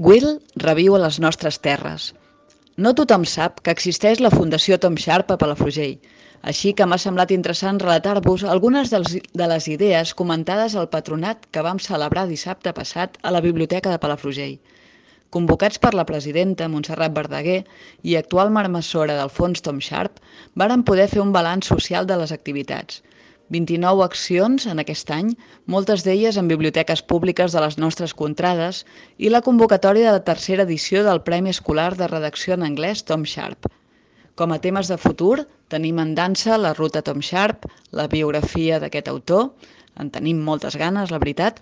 Will reviu a les nostres terres. No tothom sap que existeix la Fundació Tom Sharp a Palafrugell, així que m'ha semblat interessant relatar-vos algunes de les idees comentades al patronat que vam celebrar dissabte passat a la Biblioteca de Palafrugell. Convocats per la presidenta Montserrat Verdaguer i actual marmessora del fons Tom Sharp, varen poder fer un balanç social de les activitats. 29 accions en aquest any, moltes d'elles en biblioteques públiques de les nostres contrades i la convocatòria de la tercera edició del Premi Escolar de Redacció en Anglès Tom Sharp. Com a temes de futur, tenim en dansa la ruta Tom Sharp, la biografia d'aquest autor, en tenim moltes ganes, la veritat,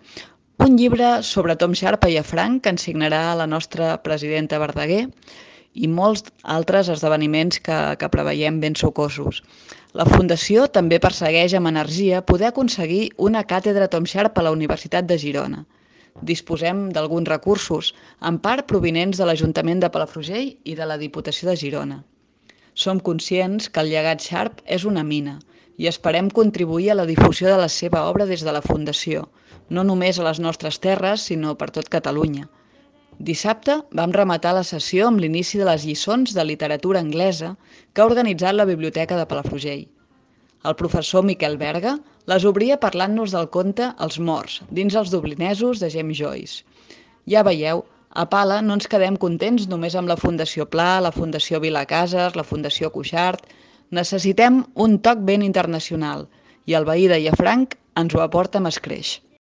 un llibre sobre Tom Sharp a Llafranc que ens signarà la nostra presidenta Verdaguer i molts altres esdeveniments que preveiem ben sucosos. La Fundació també persegueix amb energia poder aconseguir una càtedra Tom Sharp a la Universitat de Girona. Disposem d'alguns recursos, en part provinents de l'Ajuntament de Palafrugell i de la Diputació de Girona. Som conscients que el llegat Sharp és una mina i esperem contribuir a la difusió de la seva obra des de la Fundació, no només a les nostres terres, sinó per tot Catalunya. Dissabte vam rematar la sessió amb l'inici de les lliçons de literatura anglesa que ha organitzat la Biblioteca de Palafrugell. El professor Miquel Berga les obria parlant-nos del conte Els morts, dins els dublinesos de James Joyce. Ja veieu, a Pala no ens quedem contents només amb la Fundació Pla, la Fundació Vilacases, la Fundació Cuixart. Necessitem un toc ben internacional i el veí de Llafranc ens ho aporta amb escreix.